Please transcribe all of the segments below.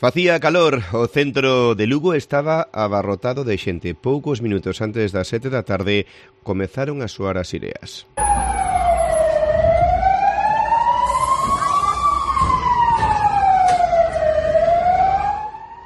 Facía calor, o centro de Lugo estaba abarrotado de xente. Poucos minutos antes das 7 da tarde comezaron a soar as sireas.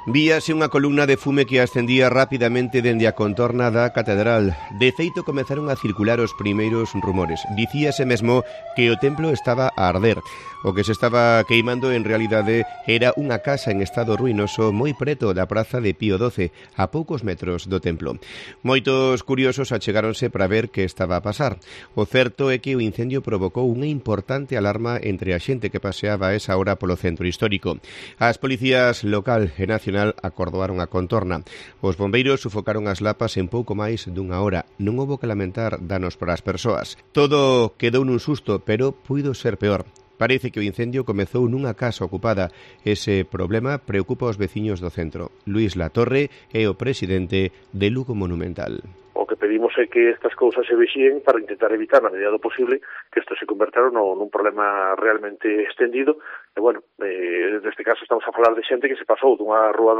Víase unha columna de fume que ascendía rapidamente dende a contorna da catedral. De feito, comezaron a circular os primeiros rumores. Dicíase mesmo que o templo estaba a arder. O que se estaba queimando en realidade era unha casa en estado ruinoso moi preto da praza de Pío XII, a poucos metros do templo. Moitos curiosos achegáronse para ver que estaba a pasar. O certo é que o incendio provocou unha importante alarma entre a xente que paseaba a esa hora polo centro histórico. As policías local e nacional acordoaron a contorna. Os bombeiros sufocaron as lapas en pouco máis dunha hora. Non houbo que lamentar danos para as persoas. Todo quedou nun susto, pero puido ser peor. Parece que o incendio comezou nunha casa ocupada. Ese problema preocupa aos veciños do centro. Luís Latorre é o presidente de Lugo Monumental. O que pedimos é que estas cousas se vexíen para intentar evitar, na medida do posible, que isto se convertera nun problema realmente extendido. E, bueno, neste caso estamos a falar de xente que se pasou dunha rúa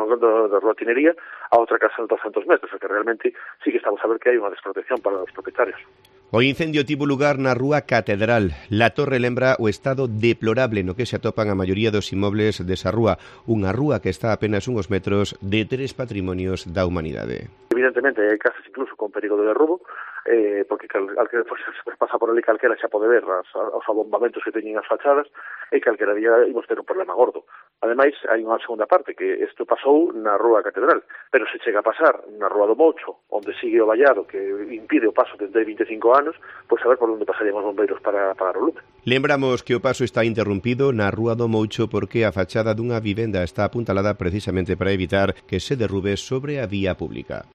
da Rúa Tinería a outra casa de 200 metros, o que realmente sí que estamos a ver que hai unha desprotección para os propietarios. O incendio tivo lugar na Rúa Catedral. Latorre lembra o estado deplorable no que se atopan a maioría dos inmobles desa rúa, unha rúa que está a apenas uns metros de 3 patrimonios da humanidade. Evidentemente, hai casas incluso con perigo de derrubo, porque calquera se pasa por ali calquera xa pode ver os abombamentos que teñen as fachadas, e calquera día imos ter un problema gordo. Ademais, hai unha segunda parte, que isto pasou na Rúa Catedral, pero se chega a pasar na Rúa do Moucho, onde sigue o vallado que impide o paso desde 25 anos, pois a ver por onde pasarían os bombeiros para apagar o lume. Lembramos que o paso está interrompido na Rúa do Moucho porque a fachada dunha vivenda está apuntalada precisamente para evitar que se derrube sobre a vía pública.